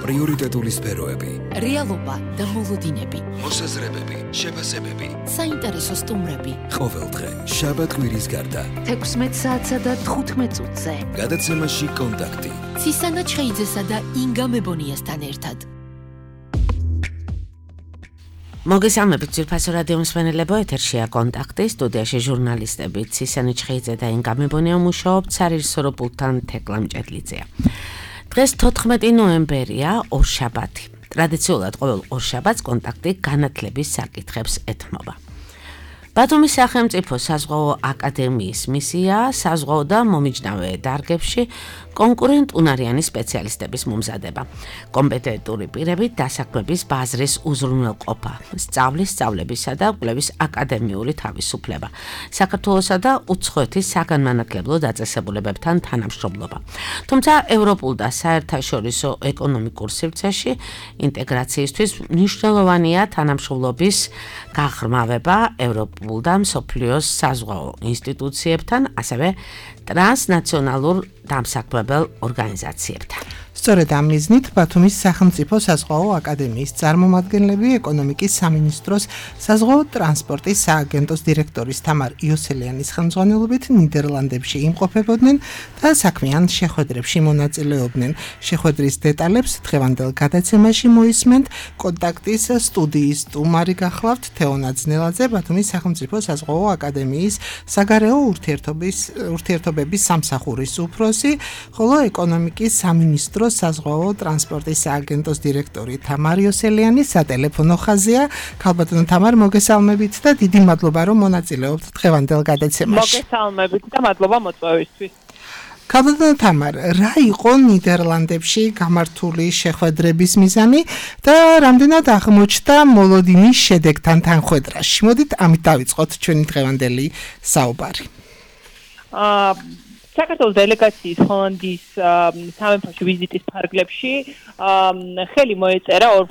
პრიორიტეტული სფეროები, რეალობა და მოლოდინები, მოსაზრებები, შეფასებები, საინტერესო სტუმრები. ყოველდღე, შაბათ-კვირის გარდა, 16 საათსა და 15 წუთზე. გადაცემაში კონტაქტი. ცისანა ჩხეიძესა და ინგა მებონიასთან ერთად. მოგესალმებით ძვირფასო რადიო მსმენელებო, ეთერშია კონტაქტი, სტუდიაში ჟურნალისტები ცისანა ჩხეიძე და ინგა მებონია მუშაობთ სარისორო პულტთან თეკლა მჭედლიძეა. დღეს 14 ნოემბერია, ორშაბათი. ტრადიციულად ყოველ ორშაბათს კონტაქტი განათლების საკითხებს ეთმობა. ბათუმის სახელმწიფო საზღვაო აკადემიის მისია საზღვაო და მომიჯნავე დარგებში კონკურენტუნარიანი სპეციალისტების მომზადება. კომპეტენტური პირები დასაქმების ბაზრის უზრუნველყოფა, სწავლის, სწავლებისა და კვლევის აკადემიური თავისუფლება, საქართველოსა და უცხოეთის საგანმანათლებლო დაწესებულებებთან თანამშრომლობა. თუმცა ევროპულ და საერთაშორისო ეკონომიკურ სივრცეში ინტეგრაციისთვის მნიშვნელოვანია თანამშრომლობის გაღრმავება ევროპულ და მსოფლიოს საზღვაო ინსტიტუციებთან, ასევე ტრანსნაციონალურ დამსაქმებელ ორგანიზაციებთან. სწორედ ამ მიზნით ბათუმის სახელმწიფო საზღვაო აკადემიის წარმომადგენლები ეკონომიკის სამინისტროს საზღვაო ტრანსპორტის სააგენტოს დირექტორის თამარ იოსელიანის ხელმძღვანელობით ნიდერლანდებში იმყოფებოდნენ და საქმიან შეხვედრებში მონაწილეობდნენ. შეხვედრის დეტალებს დღევანდელ გადაცემაში მოისმენთ. კონტაქტის სტუდიის სტუმარი გახლავთ თეონა ძნელაძე, ბათუმის სახელმწიფო საზღვაო აკადემიის საგარეო ურთიერთობების სამსახურის უფროსი, ხოლო ეკონომიკის სამინისტროს საზღვაო ტრანსპორტის სააგენტოს დირექტორი თამარ იოსელიანი სატელეფონო ხაზია. ქალბატონო თამარ, მოგესალმებით და დიდი მადლობა რომ მონაწილეობთ დღევანდელ გადაცემაში. მოგესალმებით და მადლობა მოწვევისთვის. ქალბატონო თამარ, რა იყო ნიდერლანდებში გამართული შეხვედრების მიზანი და რამდენად აღმოჩნდა მოლოდინის შედეგთან თანხვედრაში? მოდით ამით დავიწყოთ ჩვენი დღევანდელი საუბარი. საქართველოს დელეგაციის ჰოლანდიის სამეფოში ვიზიტის ფარგლებში ხელი მოეწერა ორ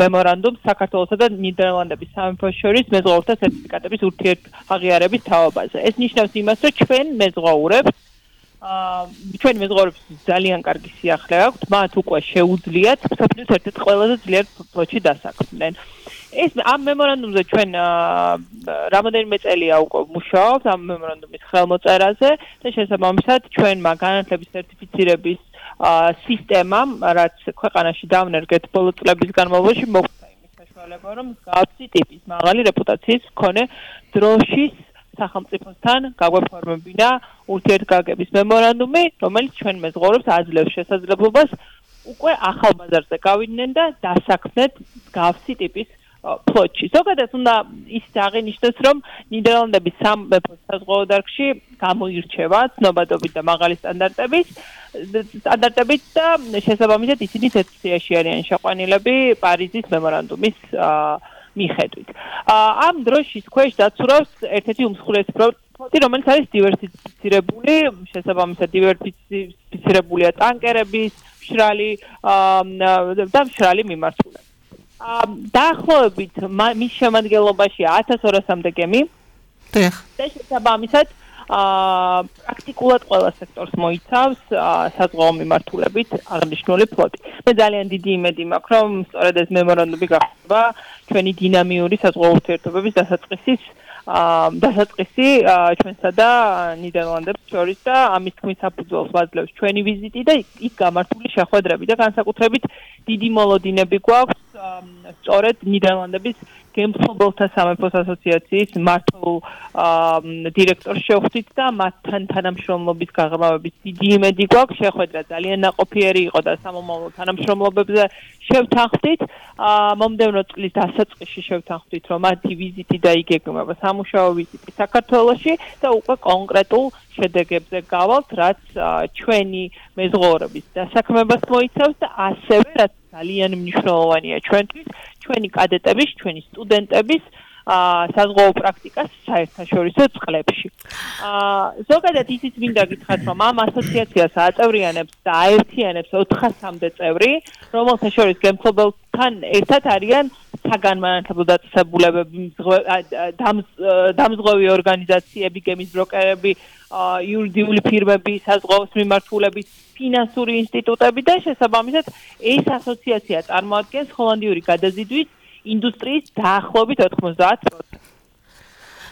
მემორანდუმს საქართველოსა და ნიდერლანდების სამეფოს შორის მეზღვაურთა სერტიფიკატების ურთიერთაღიარების თაობაზე. ეს ნიშნავს იმას, რომ ჩვენი მეზღვაურებს ძალიან კარგი სიახლე აქვთ, მათ უკვე შეუძლიათ მსოფლიოს ერთ-ერთ ყველაზე ძლიერ ფლოტში დასაქმდნენ. ეს ამ მემორანდუმზე ჩვენ რამოდენიმე წელია უკვე მუშაობთ ამ მემორანდუმის ხელმოწერაზე და შესაბამისად ჩვენმა განათლების სერტიფიცირების სისტემამ, რაც ქვეყანაში დავნერგეთ ბოლო წლების განმავლობაში, მოგვცა იმის საშუალება, რომ მსგავსი ტიპის მაღალი რეპუტაციის მქონე დროშის სახელმწიფოსთან გაგვეფორმებინა ურთიერთგაგების მემორანდუმი, რომელიც ჩვენ მეზღვაურებს აძლევს შესაძლებლობას უკვე ახალ ბაზარზე გავიდნენ და დასაქმნეთ მსგავსი ტიპის ფლოტში. ზოგადად უნდა ისიც აღინიშნოს, რომ ნიდერლანდების სამეფოს საზღვაო დარგში გამოირჩევა ცნობადობით და მაღალი სტანდარტებით და შესაბამისად ისინი ერთ სიაში არიან შეყვანილები პარიზის მემორანდუმის მიხედვით. ამ დროშის ქვეშ დაცურავს ერთ-ერთი უმსხვილესი ფლოტი, რომელიც არის დივერსიფიცირებული, შესაბამისად დივერსიფიცირებულია ტანკერების, მშრალი მიმართულებით. დაახლოებით მის შემადგენლობაში 1200-მდე გემი და შესაბამისად პრაქტიკულად ყველა სექტორს მოიცავს საზღვაო მიმართულებით აღნიშნული ფლოტი. მე ძალიან დიდი იმედი მაქვს, რომ სწორედ ეს მემორანდუმი გახდება ჩვენი დინამიური საზღვაო ურთიერთობების დასაწყისი ჩვენსა და ნიდერლანდებს შორის და ამის თქმის საფუძველს ვაძლევს ჩვენი ვიზიტი და იქ გამართული შეხვედრები და განსაკუთრებით დიდი მოლოდინები გვაქვს სწორედ ნიდერლანდების გემთმობელთა სამეფოს ასოციაციის მმართველ დირექტორს შევხვდით და მათთან თანამშრომლობის გაღრმავების დიდი იმედი გვაქვს. შეხვედრა ძალიან ნაყოფიერი იყო და სამომავლო თანამშრომლობებზე შევთანხმდით. მომდევნო წლის დასაწყისში შევთანხმდით, რომ მათი ვიზიტი დაიგეგმება სამუშაო ვიზიტი საქართველოში და უკვე კონკრეტულ შედეგებზე გავალთ, რაც ჩვენი მეზღვაურების დასაქმებას მოიცავს და ასევე რაც ძალიან მნიშვნელოვანია ჩვენთვის, ჩვენი კადეტების, ჩვენი სტუდენტების საზღვაო პრაქტიკას საერთაშორისო წყლებში. ზოგადად ისიც მინდა გითხრათ, რომ ამ ასოციაციას აწევრიანებს და აერთიანებს 400-მდე წევრი, რომელთა შორის გემთმობელთან ერთად არიან საგანმანათლებლო დაწესებულებები, დამზღვევი ორგანიზაციები, გემის ბროკერები, იურიდიული ფირმები, საზღვაოს მიმართულების, ფინანსური ინსტიტუტები და შესაბამისად ეს ასოციაცია წარმოადგენს ჰოლანდიური გადაზიდვის ინდუსტრიის დაახლოებით 90%.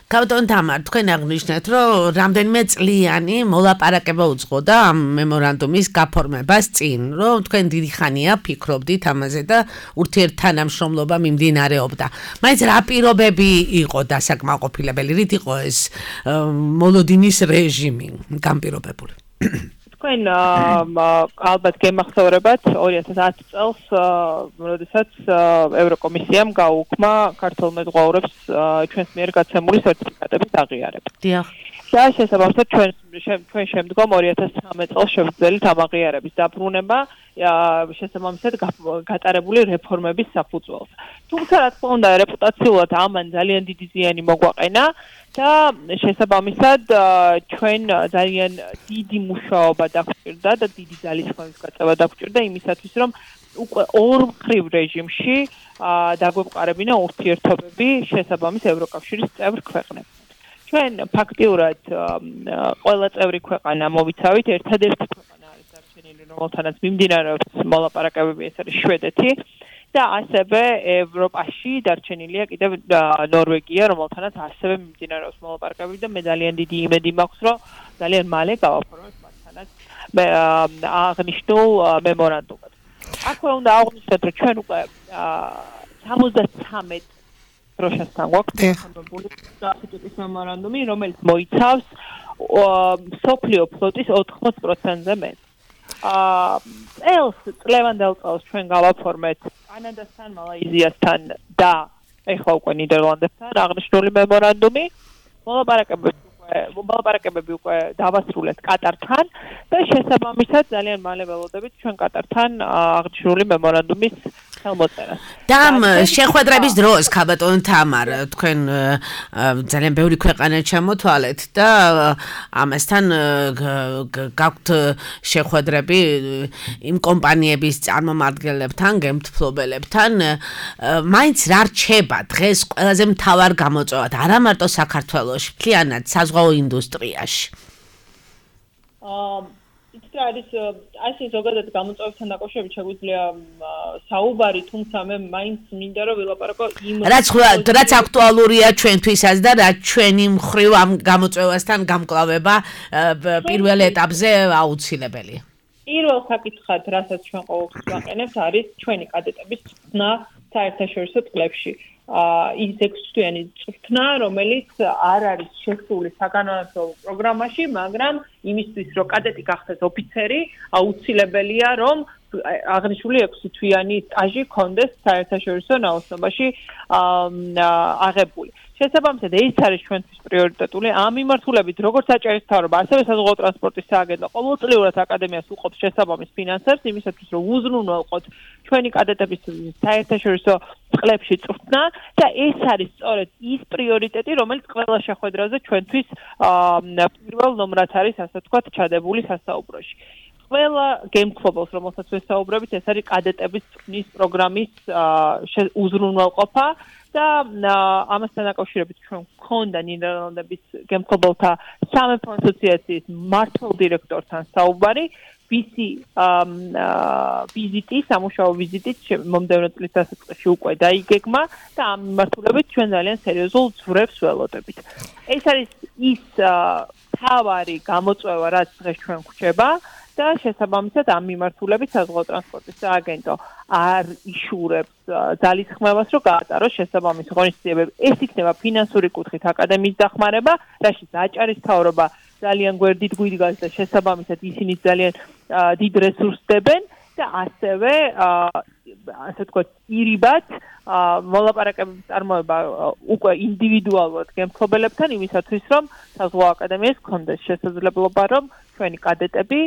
კაბატონ თამარ, თქვენ აღნიშნეთ, რომ რამდენიმე წლიანი მოლაპარაკება უძღოდა ამ მემორანდუმის გაფორმებას წინ, რომ თქვენ დიდი ხანია ფიქრობდით ამაზე და ურთიერთთანამშრომლობა მიმდინარეობდა. მაინც რა პირობები იყო დასაკმაყოფილებელი, რით იყო ეს მოლოდინის რეჟიმი განპირობებული? თქვენ ალბათ გემახსოვრებათ 2010 წელს, როდესაც ევროკომისიამ გაუქმა ქართულ მეზღვაურებს ჩვენს მიერ გაცემული სერტიფიკატების აღიარება. დიახ. და შესაბამისად ჩვენ შემდგომ 2013 წელს შევძელით ამ აღიარების დაბრუნება შესაბამისად გატარებული რეფორმების საფუძველს. თუმცა რა თქმა უნდა რეპუტაციულად ამან ძალიან დიდი ზიანი მოგვაყენა და შესაბამისად ჩვენ ძალიან დიდი მუშაობა დაგვჭირდა და დიდი ძალისხმევის გაწევა დაგვჭირდა იმისათვის რომ უკვე ორმხრივ რეჟიმში დაგვეყარებინა ურთიერთობები შესაბამის ევროკავშირის წევრ ქვეყნებთან. ჩვენ ფაქტიურად ყველა წევრი ქვეყანა მოვიცავით, ერთადერთი ქვეყანა არის დარჩენილი, რომელთანაც მიმდინარეობს მოლაპარაკებები, ეს არის შვედეთი და ასევე ევროპაში დარჩენილია კიდევ ნორვეგია, რომელთანაც ასევე მიმდინარეობს მოლაპარაკებები და მე ძალიან დიდი იმედი მაქვს, რომ ძალიან მალე გავაფორმოთ მათთანაც აღნიშნულ მემორანდუმად. აქვე უნდა აღვნიშნოთ, რომ ჩვენ უკვე 73 დროშასთან გვაქვს გაფორმებული სტატუტის მემორანდუმი, რომელიც მოიცავს მსოფლიო ფლოტის 80%-ზე მეტს. წლევანდელ წელს ჩვენ გავაფორმეთ კანადასთან, მალაიზიასთან და ეხლა უკვე ნიდერლანდებთან აღნიშნული მემორანდუმი. მოლაპარაკებები უკვე დავასრულეთ კატართან და შესაბამისად ძალიან მალე ველოდებით ჩვენ კატართან აღნიშნული მემორანდუმის ხელმოწერას. და ამ შეხვედრების დროს, კაბატონ თამარ, თქვენ ძალიან ბევრი ქვეყანა ჩამოთვალეთ და ამასთან გაქვთ შეხვედრები იმ კომპანიების წარმომადგენლებთან, გემთმფლობელებთან, მაინც რა რჩება დღეს ყველაზე მთავარ გამოწვევად, არა მარტო საქართველოში, მთლიანად საზღვაო ინდუსტრიაში? არის ასე ზოგადად გამოწვევებთან დაკავშირებით შეგვიძლია საუბარი, თუმცა მე მაინც მინდა რომ ვილაპარაკო იმ რაც აქტუალურია ჩვენთვისაც და რაც ჩვენი მხრივ ამ გამოწვევასთან გამკლავება პირველ ეტაპზე აუცილებელია. პირველ საკითხად, რასაც ჩვენ ყოველთვის ვაყენებთ, არის ჩვენი კადეტების წვრთნა საერთაშორისო წლებში. ის 6-თვიანი წვრთნა, რომელიც არ არის შესული საგანმანათლებლო პროგრამაში, მაგრამ იმისთვის, რომ კადეტი გახდეს ოფიცერი, აუცილებელია, რომ აღნიშნული 6-თვიანი სტაჟი ჰქონდეს საერთაშორისო ნაოსნობაში აღებული. შესაბამისად, ეს არის ჩვენთვის პრიორიტეტული. ამ მიმართულებით, როგორც საჭირო მთავრობა, ასევე საზღვაო ტრანსპორტის სააგენტო ყოველწლიურად აკადემიას უყოფს შესაბამის ფინანსებს, იმისათვის, რომ უზრუნველყოთ ჩვენი კადეტების საერთაშორისო წლებში წვრთნა და ეს არის სწორედ ის პრიორიტეტი, რომელიც ყველა შეხვედრაზე ჩვენთვის პირველ ნომრად არის, ასე ვთქვათ, ჩადებული სასაუბროში. ყველა გემთმფლობელს, რომელსაც ვესაუბრებით, ეს არის კადეტების წვრთნის პროგრამის უზრუნველყოფა და ამასთან დაკავშირებით ჩვენ გვქონდა ნიდერლანდების გემთმფლობელთა სამეფო ასოციაციის მმართველ დირექტორთან საუბარი, ვისი ვიზიტი, სამუშაო ვიზიტი მომდევნო წლის დასაწყისში უკვე დაიგეგმა და ამ მიმართულებით ჩვენ ძალიან სერიოზულ ძვრებს ველოდებით. ეს არის ის თავარი გამოწვევა, რაც დღეს ჩვენ გვჭება და შესაბამისად ამ მიმართულებით საზღვაო ტრანსპორტის სააგენტო არ იშურებს ძალისხმევას, რომ გაატაროს შესაბამისი ღონისძიებები. ეს იქნება ფინანსური კუთხით აკადემიის დახმარება, რაშიც აჭარის მთავრობა ძალიან გვერდით გვიდგას და შესაბამისად ისინი ძალიან დიდ რესურსს დებენ და ასევე ასე ვთქვათ, ირიბად მოლაპარაკებების წარმოება უკვე ინდივიდუალურად გემთმფლობელებთან იმისათვის, რომ საზღვაო აკადემიას ჰქონდეს შესაძლებლობა, რომ ჩვენი კადეტები,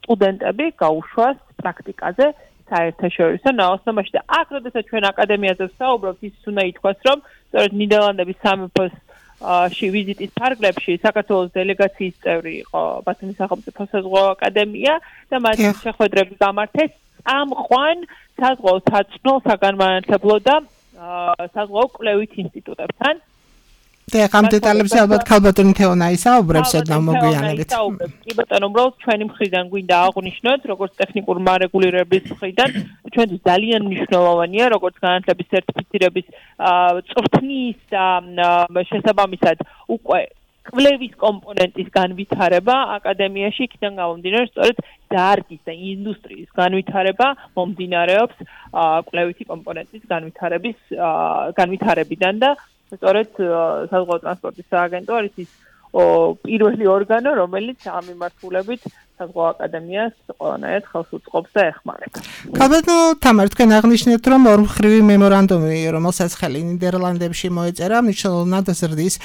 სტუდენტები გაუშვას პრაქტიკაზე საერთაშორისო ნაოსნობაში და აქ, როდესაც ჩვენ აკადემიაზე ვსაუბრობთ, ის უნდა ითქვას, რომ სწორედ ნიდერლანდების სამეფოს ვიზიტის ფარგლებში საქართველოს დელეგაციის წევრი იყო ბათუმის სახელმწიფო საზღვაო აკადემია და მათი შეხვედრები გამართეს წამყვან საზღვაო საწნო საგანმანათლებლო და საზღვაო კვლევით ინსტიტუტებთან. ამ დეტალებზე ალბათ ქალბატონი თეონა ისაუბრებს ოდნავ მოგვიანებით. კი ბატონო, უბრალოდ ჩვენი მხრიდან გვინდა აღვნიშნოთ, როგორც ტექნიკურ მარეგულირების მხრიდან, ჩვენთვის ძალიან მნიშვნელოვანია, როგორც განათლების სერტიფიცირების წვრთნის და შესაბამისად უკვე კვლევის კომპონენტის განვითარება აკადემიაში იქიდან გამომდინარე, სწორედ დარგის და ინდუსტრიის განვითარება მომდინარეობს კვლევითი კომპონენტის განვითარებიდან და სწორედ საზღვაო ტრანსპორტის სააგენტო არის ის პირველი ორგანო, რომელიც ამ მიმართულებით საზღვაო აკადემიას ყველანაირად ხელს უწყობს და ეხმარება. ქალბატონო თამარ, თქვენ აღნიშნეთ, რომ ორმხრივი მემორანდუმი, რომელსაც ხელი ნიდერლანდებში მოეწერა, მნიშვნელოვნად ზრდის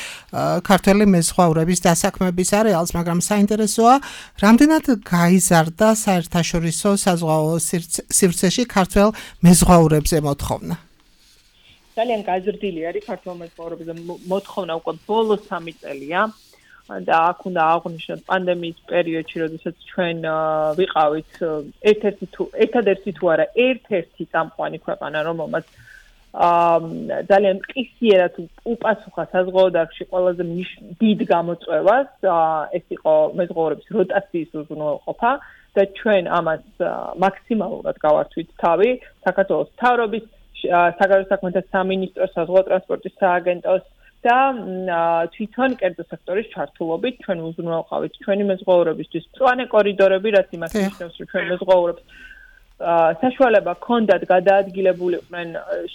ქართველი მეზღვაურების დასაქმების არეალს, მაგრამ საინტერესოა, რამდენად გაიზარდა საერთაშორისო საზღვაო სივრცეში ქართველ მეზღვაურებზე მოთხოვნა? ძალიან გაზრდილი არის ქართველ მეზღვაურებზე მოთხოვნა უკვე ბოლო 3 წელია. და აქ უნდა აღვნიშნოთ პანდემიის პერიოდში, როდესაც ჩვენ ვიყავით ერთადერთი თუ არა ერთ-ერთი წამყვანი ქვეყანა, რომელმაც ძალიან მყისიერად უპასუხა საზღვაო დარგში ყველაზე დიდ გამოწვევას, ეს იყო მეზღვაურების როტაციის უზრუნველყოფა და ჩვენ ამას მაქსიმალურად გავართვით თავი საქართველოს მთავრობის, საგარეო საქმეთა სამინისტროს, საზღვაო ტრანსპორტის სააგენტოს და თვითონ კერძო სექტორის ჩართულობით ჩვენ უზრუნველყავით ჩვენი მეზღვაურებისთვის მწვანე კორიდორები, რაც იმას ნიშნავს, რომ ჩვენ მეზღვაურებს საშუალება ჰქონდათ გადაადგილებულიყვნენ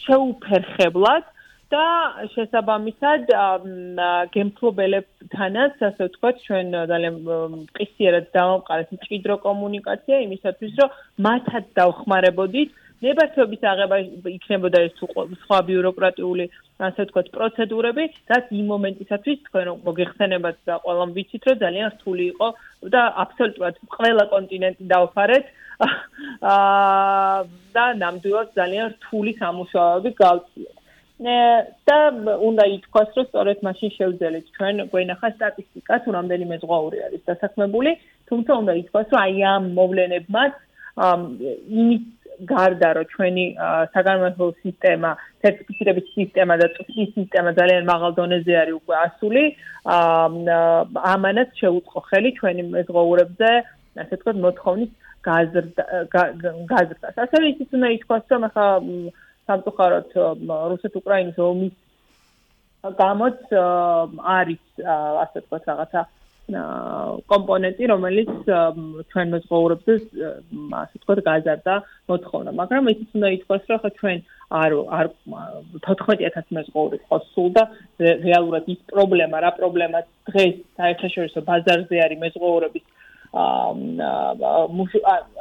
შეუფერხებლად და შესაბამისად გემთლობელებთანაც, ასე ვთქვათ, ჩვენ ძალიან მყისიერად დავამყარეთ მჭიდრო კომუნიკაცია იმისათვის, რომ მათაც დავხმარებოდით ნებართვების აღება იქნებოდა ეს სხვა ბიუროკრატიული, ასე ვთქვათ, პროცედურები, რაც იმ მომენტისათვის თქვენ მოგეხსენებათ და ყველამ ვიცით, რომ ძალიან რთული იყო და აბსოლუტურად ყველა კონტინენტი დავფარეთ და ნამდვილად ძალიან რთული სამუშაოები გავწიეთ. და უნდა ითქვას, რომ სწორედ მაშინ შევძელით ჩვენ გვენახა სტატისტიკა, თუ რამდენი მეზღვაური არის დასაქმებული, თუმცა უნდა ითქვას, რომ აი ამ მოვლენებმაც იმის გარდა რომ ჩვენი საგანმანათლებლო სისტემა, სერტიფიცირების სისტემა და წვთის სისტემა ძალიან მაღალ დონეზე არის უკვე ასული, ამანაც შეუწყო ხელი ჩვენი მეზღვაურებზე, ასე ვთქვათ, მოთხოვნის გაზრდას. ასევე ისიც უნდა ითქვას, რომ ახლა სამწუხაროდ რუსეთ-უკრაინის ომის გამოც არის, ასე ვთქვათ, რაღაცა კომპონენტი, რომელიც ჩვენ მეზღვაურებზე, ასე ვთქვათ, გაზარდა მოთხოვნა. მაგრამ ისიც უნდა ითქვას, რომ ხა ჩვენ არ 14000 მეზღვაური ყავს სულ და რეალურად ის პრობლემა, რა პრობლემა დღეს საერთაშორისო ბაზარზე არის მეზღვაურების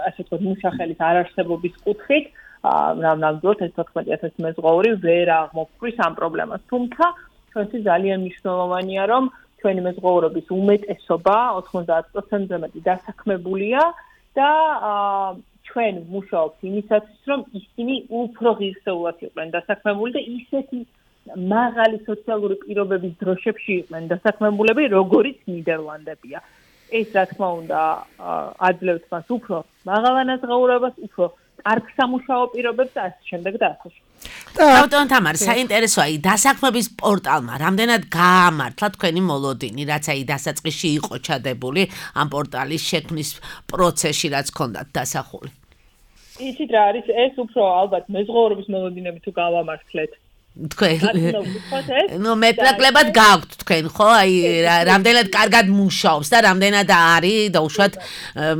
ასე ვთქვათ, მუშახელის არარსებობის კუთხით, ნამდვილად ეს 14000 მეზღვაური ვერ აღმოფხრის ამ პრობლემას. თუმცა ჩვენთვის ძალიან მნიშვნელოვანია, რომ ჩვენი მეზღვაურების უმეტესობა 90%-ზე მეტი დასაქმებულია და ჩვენ ვმუშაობთ იმისათვის, რომ ისინი უფრო ღირსეულად იყვნენ დასაქმებული და ისეთი მაღალი სოციალური პირობების დროშებში იყვნენ დასაქმებულები, როგორიც ნიდერლანდებია. ეს რა თქმა უნდა აძლევს მას უფრო მაღალ ანაზღაურებას, უფრო კარგ სამუშაო პირობებს და ასე შემდეგ და ასე შემდეგ. ქალბატონ თამარ, საინტერესოა დასაქმების პორტალმა რამდენად გაამართლა თქვენი მოლოდინი, რაც აი დასაწყისში იყო ჩადებული ამ პორტალის შექმნის პროცესში, რაც ჰქონდათ დასახული. იცით რა არის, ეს უფრო ალბათ მეზღვაურების მოლოდინები თუ გავამართლეთ. თქვენ მეტნაკლებად გაქვთ თქვენ, ხო? აი რამდენად კარგად მუშაობს და რამდენად არის დაუშვათ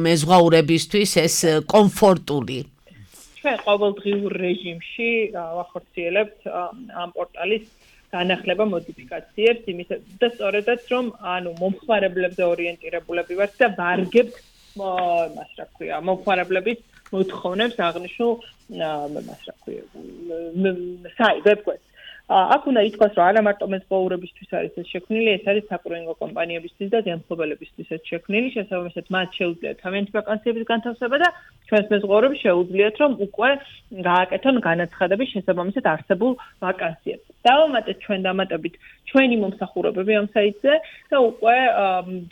მეზღვაურებისთვის ეს კომფორტული. ჩვენ ყოველდღიურ რეჟიმში ვახორციელებთ ამ პორტალის განახლება მოდიფიკაციებს, და სწორედაც რომ მომხმარებლებზე ორიენტირებულები ვართ და ვარგებთ მას რა ქვია, მომხმარებლების მოთხოვნებს აღნიშნულ ვებგვერდს. აქ უნდა ითქვას, რომ არა მარტო მეზღვაურებისთვის არის ეს შექმნილი, ეს არის საკურინგო კომპანიებისთვის და ზემთხვეველებისთვის ეს შექმნილი, შესაბამისად მათ შეუძლიათ თავიანთი ვაკანსიების განთავსება და ჩვენს მეზღვაურებს შეუძლიათ, რომ უკვე გააკეთონ განაცხადების შესაბამისად არსებულ ვაკანსიებს. დავამატეთ ჩვენ დამატებით ჩვენი მომსახურებები ამ საიტზე და უკვე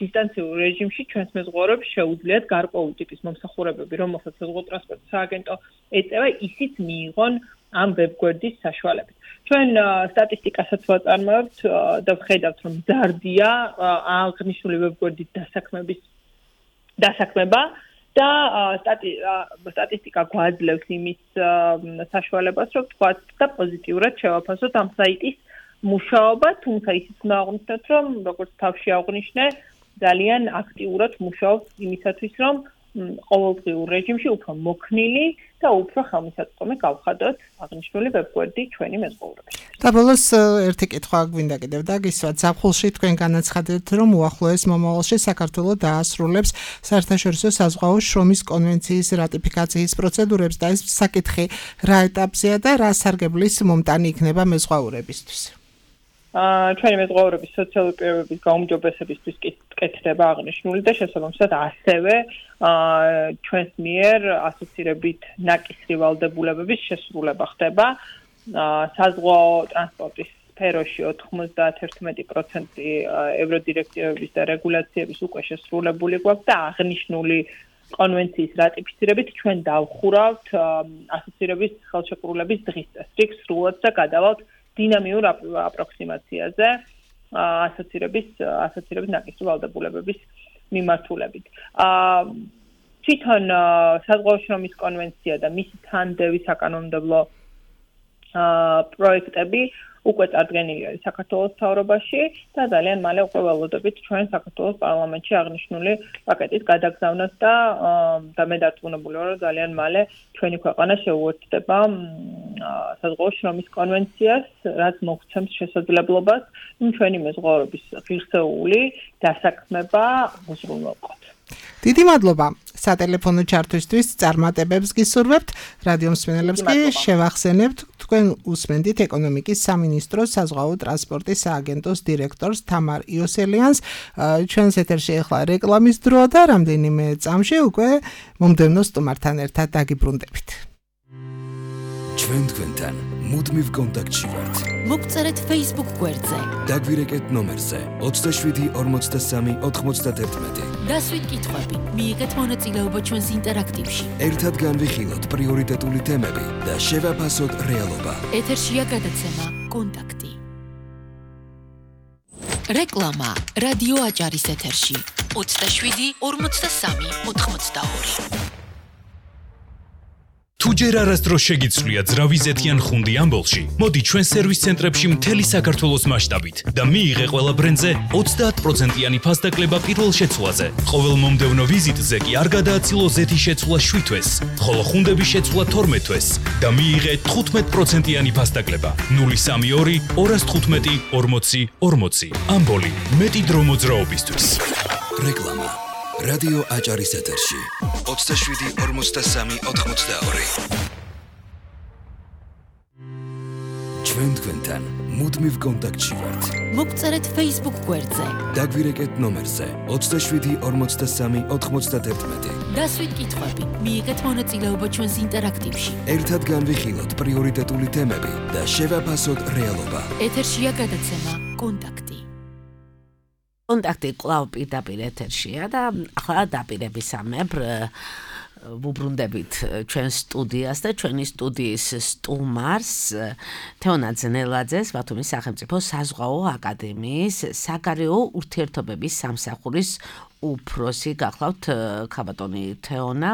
დისტანციურ რეჟიმში ჩვენს მეზღვაურებს შეუძლიათ გარკვეული ტიპის მომსახურებები, რომელსაც საზღვაო ტრანსპორტის სააგენტო ეწევა, ისიც მიიღონ ამ ვებგვერდის საშუალებით. ჩვენ სტატისტიკასაც ვაწარმოებთ და ვხედავთ, რომ მზარდია აღნიშნული ვებგვერდის დასაქმება და სტატისტიკა გვაძლევს იმის საშუალებას, რომ თქვათ და პოზიტიურად შევაფასოთ ამ საიტის მუშაობა, თუმცა ისიც უნდა აღვნიშნოთ, რომ როგორც თავში აღვნიშნე, ძალიან აქტიურად მუშაობს იმისათვის, რომ ყოველდღიურ რეჟიმში უფრო მოქნილი და უფრო ხელმისაწვდომი გავხადოთ აღნიშნული ვებგვერდი ჩვენი მეზღვაურებს. და ბოლოს ერთი კითხვა გვინდა კიდევ დაგისვათ. ზაფხულში თქვენ განაცხადეთ, რომ უახლოეს მომავალში საქართველოს დაასრულებს საერთაშორისო საზღვაო შრომის კონვენციის რატიფიკაციის პროცედურებს და ეს საკითხი რა ეტაპზეა და რა სარგებლის მომტანი იქნება მეზღვაურებისთვის? ჩვენი მეზღვაურების სოციალური პირობების გაუმჯობესებისთვის კი კეთდება აღნიშნული და შესაბამისად ასევე ჩვენს მიერ ასოცირებით ნაკისრი ვალდებულებების შესრულება ხდება. საზღვაო ტრანსპორტის სფეროში 91% ევროდირექტივების და რეგულაციების უკვე შესრულებული გვაქვს და აღნიშნული კონვენციის რატიფიცირებით ჩვენ დავხურავთ ასოცირების ხელშეკრულების დღის წესრიგს სრულად და გადავალთ დინამიურ აპროქსიმაციაზე ასოცირების ნაკისრი ვალდებულებების მიმართულებით. თვითონ საზღვაო შრომის კონვენცია და მისი თანდევი საკანონმდებლო პროექტები უკვე წარდგენილი არის საქართველოს მთავრობაში და ძალიან მალე უკვე ველოდებით ჩვენ საქართველოს პარლამენტში აღნიშნული პაკეტის გადაგზავნას და მე დარწმუნებული ვარ, რომ ძალიან მალე ჩვენი ქვეყანა შეუერთდება საზღვაო შრომის კონვენციას, რაც მოგცემს შესაძლებლობას ჩვენი მეზღვაურების ღირსეული დასაქმება უზრუნველყოთ. დიდი მადლობა სატელეფონო ჩართვისთვის, წარმატებებს გისურვებთ. რადიო მსმენელებს კი შევახსენებთ, თქვენ უსმენთ ეკონომიკის სამინისტროს საზღვაო ტრანსპორტის სააგენტოს დირექტორს თამარ იოსელიანს. ჩვენს ეთერში ახლა რეკლამის დროა და რამდენიმე წამში უკვე მომდევნო სტუმართან ერთად დაგიბრუნდებით. ჩვენ თქვენთან მუდმივ კონტაქტში ვართ. მოგწერეთ Facebook გვერდზე. დაგვირეკეთ ნომერზე 27 43 91. დასვით კითხვები, მიიღეთ მონაწილეობა ჩვენს ინტერაქტივში. ერთად განვიხილოთ პრიორიტეტული თემები და შევაფასოთ რეალობა. ეთერშია გადაცემა კონტაქტი. რეკლამა რადიო აჭარის ეთერში 27 43 82. თუ ჯერ არასდროს შეგიცვლია ძრავიზეთიან ხუნდი ამბოლში, მოდი ჩვენ სერვის ცენტრებში მთელი საქართველოს მასშტაბით და მიიღე ყველა ბრენდზე 30%-იანი ფასდაკლება პირველ შეცვლაზე. ყოველ მომდევნო ვიზიტზე კი არ გადააცილო ზეთის შეცვლა 7 თვეს, ხოლო ხუნდების შეცვლა 12 თვეს და მიიღე 15%-იანი ფასდაკლება. 032 215 40 40. ამბოლი, მეტი დრო მოძრაობისთვის. რეკლამა რადიო აჭარის ეთერში 27 43 82. ჩვენ თქვენთან მუდმივ კონტაქტში ვართ. მოგწერეთ Facebook გვერდზე. დაგვირეკეთ ნომერზე 27 43 91. დასვით კითხვები, მიიღეთ მონაწილეობა ჩვენს ინტერაქტივში. ერთად განვიხილოთ პრიორიტეტული თემები და შევაფასოთ რეალობა. ეთერშია გადაცემა კონტაქტი. კონტაქტი კვლავ პირდაპირ ეთერშია და ახლა დაპირებისამებრ ვუბრუნდებით ჩვენ სტუდიას და ჩვენი სტუდიის სტუმარს თეონა ძნელაძეს, ბათუმის სახელმწიფო საზღვაო აკადემიის საგარეო ურთიერთობების სამსახურის უფროსი. გახლავთ ქაბატონი თეონა.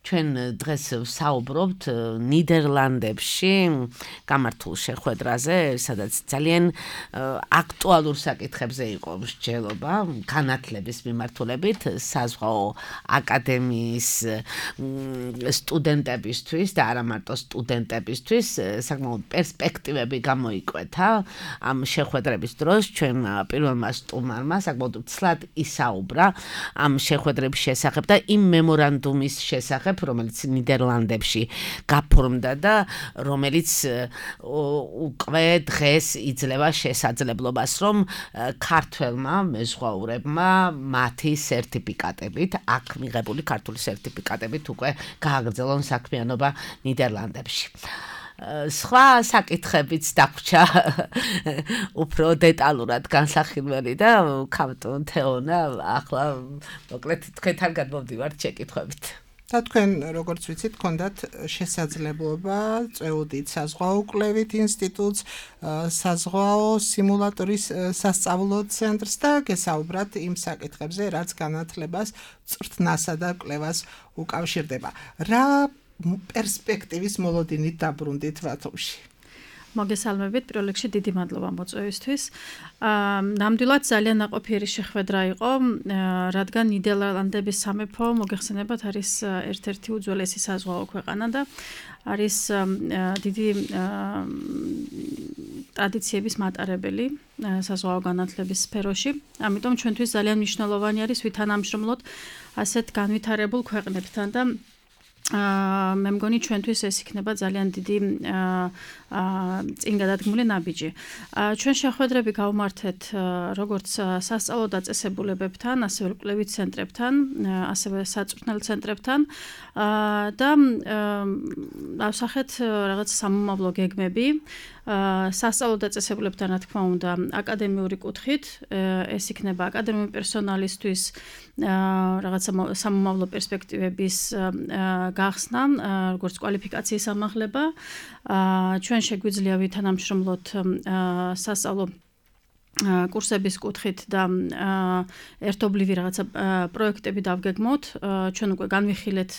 ჩვენ დღეს ვსაუბრობთ ნიდერლანდებში გამართულ შეხვედრაზე, სადაც ძალიან აქტუალურ საკითხებზე იყო მსჯელობა განათლების მიმართულებით საზღვაო აკადემიის სტუდენტებისთვის და არა მარტო სტუდენტებისთვის საკმაოდ პერსპექტივები გამოიკვეთა ამ შეხვედრების დროს. ჩვენ პირველმა სტუმარმა საკმაოდ ცლად ისაუბრა ამ შეხვედრების შესახებ და იმ მემორანდუმის შესახებ, რომელიც ნიდერლანდებში გაფორმდა და რომელიც უკვე დღეს იძლევა შესაძლებლობას, რომ ქართველმა მეზღვაურებმა მათი სერტიფიკატებით, აქ მიღებული ქართული სერტიფიკატებით უკვე გააგრძელონ საქმიანობა ნიდერლანდებში. სხვა საკითხებიც დაგვჭა უფრო დეტალურად განსახილველი და ქაბატონ თეონა, ახლა მოკლედ თქვენთან გადმოვდივართ შეკითხვებით. და თქვენ როგორც ვიცით, გქონდათ შესაძლებლობა წვეუდით საზღვაო კვლევით ინსტიტუტს, საზღვაო სიმულატორის სასწავლო ცენტრს და გესაუბრათ იმ საკითხებზე, რაც განათლებას, წვრთნასა და კვლევას უკავშირდება. რა პერსპექტივის მოლოდინით დაბრუნდით ბათუმში? მოგესალმებით, პირველ რიგში დიდი მადლობა მოწვევისთვის. ნამდვილად ძალიან ნაყოფიერი შეხვედრა იყო, რადგან ნიდერლანდების სამეფო მოგეხსენებათ არის ერთ-ერთი უძველესი საზღვაო ქვეყანა და არის დიდი ტრადიციების მატარებელი საზღვაო განათლების სფეროში. ამიტომ ჩვენთვის ძალიან მნიშვნელოვანი არის ვითანამშრომლოთ ასეთ განვითარებულ ქვეყნებთან და მე მგონი ჩვენთვის ეს იქნება ძალიან დიდი წინ გადადგმული ნაბიჯი. ჩვენ შეხვედრები გავმართეთ როგორც სასწავლო დაწესებულებებთან, ასევე კვლევით ცენტრებთან, ასევე საწვრთნელ ცენტრებთან და ავსახეთ რაღაც სამომავლო გეგმები. სასწავლო დაწესებულებთან, რა თქმა უნდა, აკადემიური კუთხით, ეს იქნება აკადემიური პერსონალისთვის რაღაცა სამომავლო პერსპექტივების გახსნა, როგორც კვალიფიკაციის ამაღლება. ჩვენ შეგვიძლია ვითანამშრომლოთ სასწავლო კურსების კუთხით და ერთობლივი რაღაცა პროექტები დავგეგმოთ. ჩვენ უკვე განვიხილეთ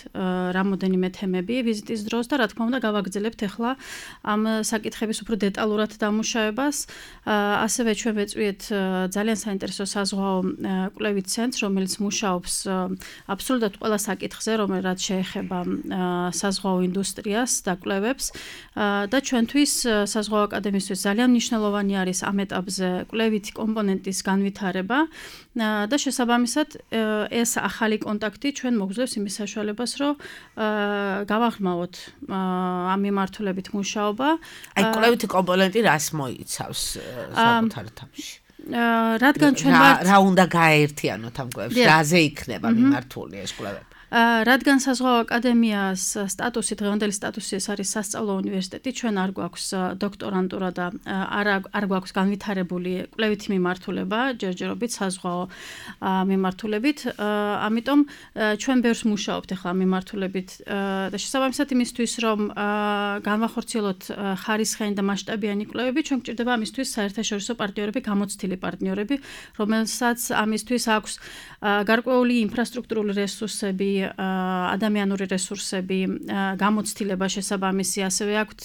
რამოდენიმე თემები ვიზიტის დროს და რა თქმა უნდა გავაგრძელებთ ახლა ამ საკითხების უფრო დეტალურად დამუშავებას. ასევე ჩვენ ვეწვიეთ ძალიან საინტერესო საზღვაო კვლევით ცენტრს, რომელიც მუშაობს აბსოლუტურად ყველა საკითხზე, რომელიც შეეხება საზღვაო ინდუსტრიას და კვლევებს და ჩვენთვის საზღვაო აკადემიისთვის ძალიან მნიშვნელოვანი არის ამ ეტაპზე კვლევითი კომპონენტის განვითარება და შესაბამისად ეს ახალი კონტაქტი ჩვენ მოგძლევს იმის საშუალებას, რომ გავაღრმავოთ ამ მიმართულებით მუშაობა. აი კვლევითი კომპონენტი რას მოიცავს საკუთარ თამაში? რადგან ჩვენ ვართ რა უნდა გააერთიანოთ ამ კვლევებში? რაზე იქნება მიმართული ეს კვლევები? რადგან საზღვაო აკადემიას სტატუსი, დღევანდელი სტატუსი ეს არის სასწავლო უნივერსიტეტი, ჩვენ არ გვაქვს დოქტორანტურა და არ გვაქვს განვითარებული კვლევითი მიმართულება, ჯერჯერობით საზღვაო მიმართულებით. ამიტომ ჩვენ ბევრს მუშაობთ ახლა მიმართულებით და შესაბამისად იმისთვის, რომ განვახორციელოთ ხარისხიანი და მასშტაბიანი კვლევები, ჩვენ გვჭირდება ამისთვის საერთაშორისო პარტნიორები, გამოცდილი პარტნიორები, რომელსაც ამისთვის აქვს გარკვეული ინფრასტრუქტურული რესურსები, ადამიანური რესურსები, გამოცდილება შესაბამისი, ასევე აქვთ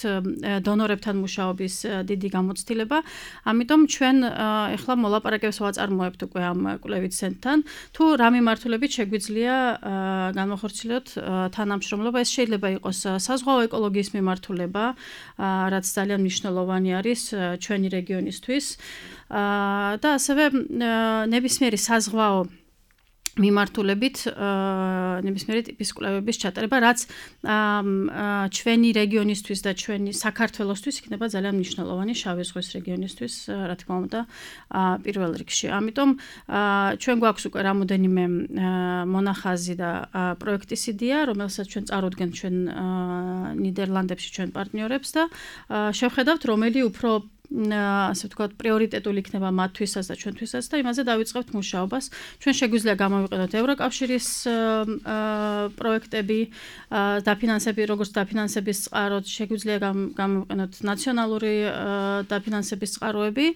დონორებთან მუშაობის დიდი გამოცდილება. ამიტომ ჩვენ ახლა მოლაპარაკებებს ვაწარმოებთ უკვე ამ კვლევით ცენტრთან. თუ რა მიმართულებით შეგვიძლია განვახორციელოთ თანამშრომლობა, ეს შეიძლება იყოს საზღვაო ეკოლოგიის მიმართულება, რაც ძალიან მნიშვნელოვანი არის ჩვენი რეგიონისთვის და ასევე ნებისმიერი საზღვაო მიმართულებით ნებისმიერი ტიპის კვლევების ჩატარება, რაც ჩვენი რეგიონისთვის და ჩვენი საქართველოსთვის იქნება ძალიან მნიშვნელოვანი შავი ზღვის რეგიონისთვის, რა თქმა უნდა, პირველ რიგში. ამიტომ ჩვენ გვაქვს უკვე რამოდენიმე მონახაზი და პროექტის იდეა, რომელსაც ჩვენ წარუდგენთ ჩვენ ნიდერლანდებში ჩვენ პარტნიორებს და შევხედავთ, რომელი უფრო ასე ვთქვათ, პრიორიტეტული იქნება მათთვისაც და ჩვენთვისაც და იმაზე დავიწყებთ მუშაობას. ჩვენ შეგვიძლია გამოვიყენოთ ევროკავშირის პროექტები, როგორც დაფინანსების წყაროდ, შეგვიძლია გამოვიყენოთ ნაციონალური დაფინანსების წყაროები.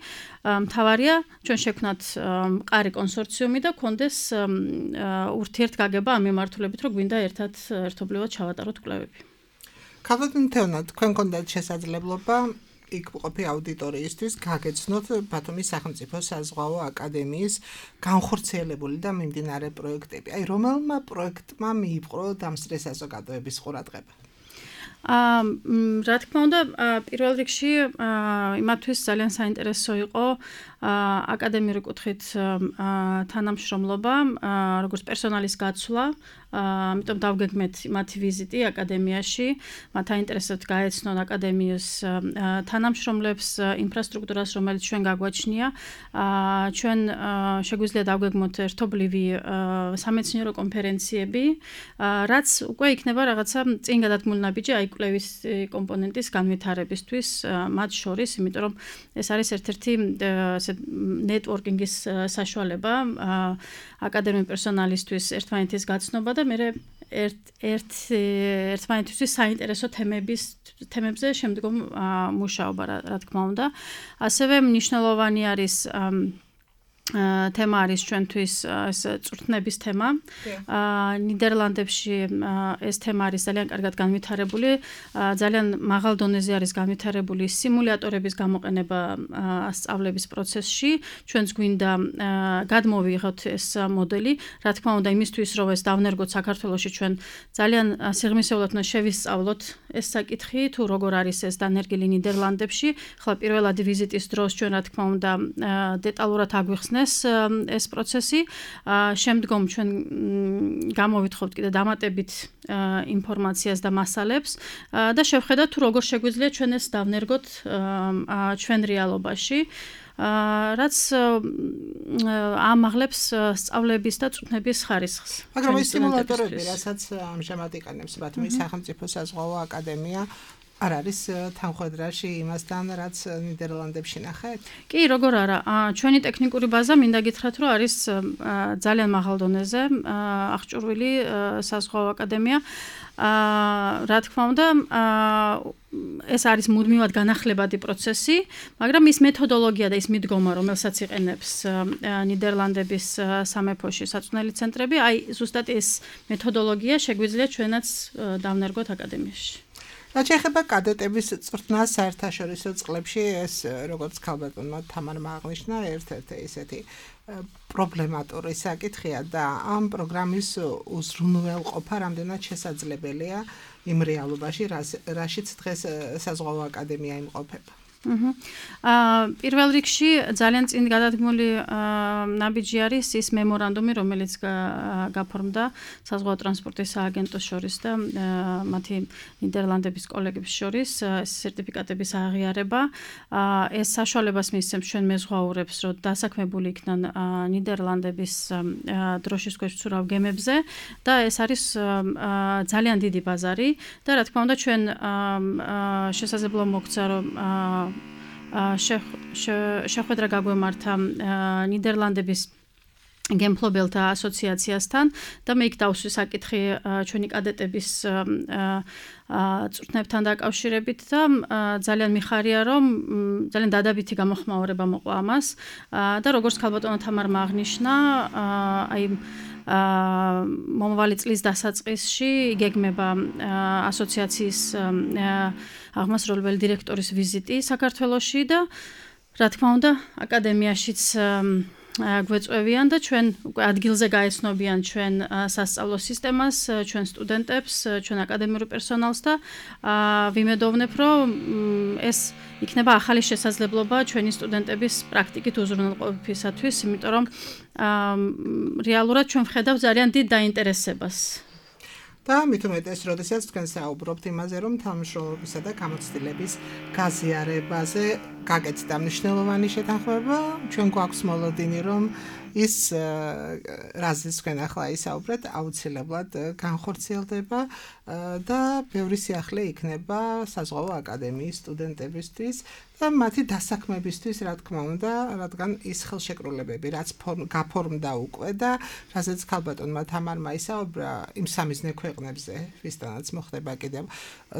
მთავარია, ჩვენ შევქნათ მყარი კონსორციუმი და გქონდეს ურთიერთგაგება ამ მიმართულებით, რომ გვინდა ერთობლივად ჩავატაროთ კვლევები. ქალბატონო, თქვენ გქონდათ შესაძლებლობა იქ ყოფი აუდიტორიისთვის გაგეცნოთ ბათუმის სახელმწიფო საზღვაო აკადემიის განხორციელებული და მიმდინარე პროექტები. აი, რომელმა პროექტმა მიიპყრო დამსწრე საზოგადოების ყურადღება? რა თქმა უნდა, პირველ რიგში იმათთვის ძალიან საინტერესო იყო აკადემიური კუთხით თანამშრომლობა, როგორც პერსონალის გაცვლა, ამიტომ დავგეგმეთ მათი ვიზიტი აკადემიაში, მათ აინტერესებთ გაეცნონ აკადემიის თანამშრომლებს, ინფრასტრუქტურას, რომელიც ჩვენ გაგვაჩნია. ჩვენ შეგვიძლია დავგეგმოთ ერთობლივი სამეცნიერო კონფერენციები, რაც უკვე იქნება რაღაცა წინ გადადგმული ნაბიჯი აი კვლევის კომპონენტის განვითარებისთვის, მათ შორის, იმიტომ რომ ეს არის ერთ-ერთი ნეტვორკინგის საშუალება აკადემიური პერსონალისთვის ერთმანეთის გაცნობა და მე ერთმანეთისთვის საინტერესო თემებზე შემდგომ მუშაობა, რა თქმა უნდა. ასევე მნიშვნელოვანი არის თემა არის ჩვენთვის ეს წვრთნების თემა. ნიდერლანდებში ეს თემა არის ძალიან კარგად განვითარებული, ძალიან მაღალ დონეზე არის განვითარებული სიმულატორების გამოყენება სწავლების პროცესში. ჩვენს გვინდა გადმოვიღოთ ეს მოდელი, რა თქმა უნდა, იმისთვის, რომ ეს დავნერგოთ საქართველოში, ჩვენ ძალიან სიღრმისეულად უნდა შევისწავლოთ ეს საკითხი, თუ როგორ არის ეს დანერგილი ნიდერლანდებში. ხლა პირველადი ვიზიტის დროს ჩვენ რა თქმა უნდა დეტალურად აგვიხსნეს ეს პროცესი. შემდგომ ჩვენ გამოვითხოვთ კიდე დამატებით ინფორმაციას და მასალებს და შევხედათ თუ როგორ შეგვიძლია ჩვენ ეს დავნერგოთ ჩვენ რეალობაში. რაც ამაღლებს სწავლების და წვრთნების ხარისხს. მაგრამ ეს სიმულატორები, რასაც ამჟამად იყენებს ბათუმის სახელმწიფო საზღვაო აკადემია, არ არის თანხმედრაში იმასთან, რაც ნიდერლანდებში ნახეთ? კი, როგორ არა. ჩვენი ტექნიკური ბაზა მინდა გითხრათ, რომ არის ძალიან მაღალ დონეზე აღჭურვილი საზღვაო აკადემია. რა თქმა უნდა, ეს არის მუდმივად განახლებადი პროცესი, მაგრამ ის მეთოდოლოგია და ის მიდგომა, რომელსაც იყენებს ნიდერლანდების სამეფოში საწვრთნელი ცენტრები, აი ზუსტად ეს მეთოდოლოგია შეგვიძლია ჩვენაც დავნერგოთ აკადემიაში. რაც შეეხება კადეტების წვრთნას საერთაშორისო წყლებში, ეს როგორც ქალბატონმა თამარმა აღნიშნა, ერთ-ერთი ისეთი პრობლემატური საკითხია და ამ პროგრამის უზრუნველყოფა რამდენად შესაძლებელია იმ რეალობაში, რაშიც დღეს საზღვაო აკადემია იმყოფება. პირველ რიგში ძალიან წინ გადადგმული ნაბიჯი არის ის მემორანდუმი, რომელიც გაფორმდა საზღვაო ტრანსპორტის სააგენტოს შორის და მათი ნიდერლანდების კოლეგების შორის ეს სერტიფიკატების აღიარება. ეს საშუალებას მისცემს ჩვენ მეზღვაურებს, რომ დასაქმებული იქნან ნიდერლანდების დროშის ქვეშ მცურავ გემებზე და ეს არის ძალიან დიდი ბაზარი და რა თქმა უნდა ჩვენ შესაძლებლობა მოგცა, რომ შეხვედრა გაგვემართა ნიდერლანდების გემფლობელთა ასოციაციასთან და მე იქ დავსვი საკითხი ჩვენი კადეტების წვრთნებთან დაკავშირებით და ძალიან მიხარია, რომ ძალიან დადებითი გამოხმაურება მოყვა ამას და როგორც ქალბატონო თამარმა აღნიშნა, აი მომავალი წლის დასაწყისში იგეგმება ასოციაციის აღმასრულებელი დირექტორის ვიზიტი საქართველოში და რა თქმა უნდა აკადემიაშიც გვეწევიან და ჩვენ უკვე ადგილზე გაეცნობიან ჩვენ სასწავლო სისტემას, ჩვენ სტუდენტებს, ჩვენ აკადემიური პერსონალს და ვიმედოვნებ, რომ ეს იქნება ახალი შესაძლებლობა ჩვენი სტუდენტების პრაქტიკით უზრუნველყოფისათვის, იმიტომ რომ რეალურად ჩვენ ვხედავთ ძალიან დიდ დაინტერესებას. და მით უმეტეს, როდესაც თქვენ საუბრობთ იმაზე, რომ თანამშრომლობისა და გამოცდილების გაზიარებაზე გაკეთდა მნიშვნელოვანი შეთანხმება, ჩვენ გვაქვს მოლოდინი, რომ ის რაზეც თქვენ ახლა ისაუბრეთ, აუცილებლად განხორციელდება და ბევრი სიახლე იქნება საზღვაო აკადემიის სტუდენტებისთვის და მათი დასაქმებისთვის, რა თქმა უნდა, რადგან ის ხელშეკრულებები, რაც გაფორმდა უკვე და რაზეც ქალბატონმა თამარმა ისაუბრა იმ სამიზნე ქვეყნებზე, ვისთანაც მოხდება კიდევ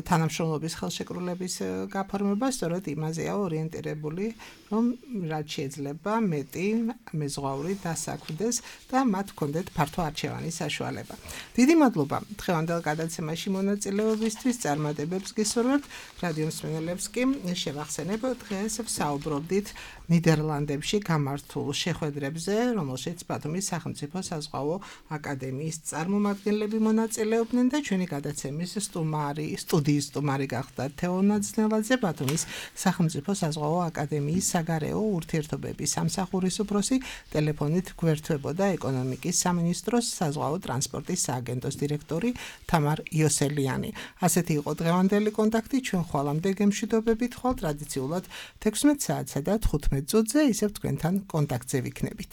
თანამშრომლობის ხელშეკრულების გაფორმება, სწორედ იმაზეა ორიენტირებული, რომ რაც შეიძლება მეტი მეზღვაური დასაქმდეს და მათ ჰქონდეთ ფართო არჩევანის საშუალება. დიდი მადლობა დღევანდელ გადაცემაში მონაწილეობისთვის, წარმატებებს გისურვებთ. რადიო მსმენელებს კი შევახსენებ, დღეს ვსაუბრობდით ნიდერლანდებში გამართულ შეხვედრებზე, რომელშიც ბათუმის სახელმწიფო საზღვაო აკადემიის წარმომადგენლები მონაწილეობდნენ და ჩვენი გადაცემის სტუდიის სტუმარი გახდა თეო ნაძნელაძე, ბათუმის სახელმწიფო საზღვაო აკადემიის საგარეო ურთიერთობების სამსახურის უფროსი, ტელეფონით გვერდთვებოდა ეკონომიკის სამინისტროს საზღვაო ტრანსპორტის სააგენტოს დირექტორი თამარ იოსელიანი. ასეთი იყო დღევანდელი კონტაქტი, ჩვენ ხვალამდე გემშვიდობებით ხვალ ტრადიციულად 16 საათსა და 15 წუთზე ისევ თქვენთან კონტაქტზე ვიქნებით.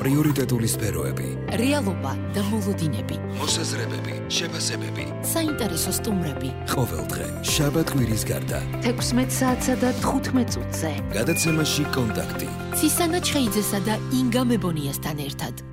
პრიორიტეტული სფეროები, რეალობა და მოლოდინები, მოსაზრებები, შეფასებები. საინტერესო სტუმრები. ყოველდღე, შაბათ-კვირის გარდა. 16 საათსა და 15 წუთზე. გადაცემაში კონტაქტი. ცისანა ჩხეიძესა და ინგა მებონიასთან ერთად.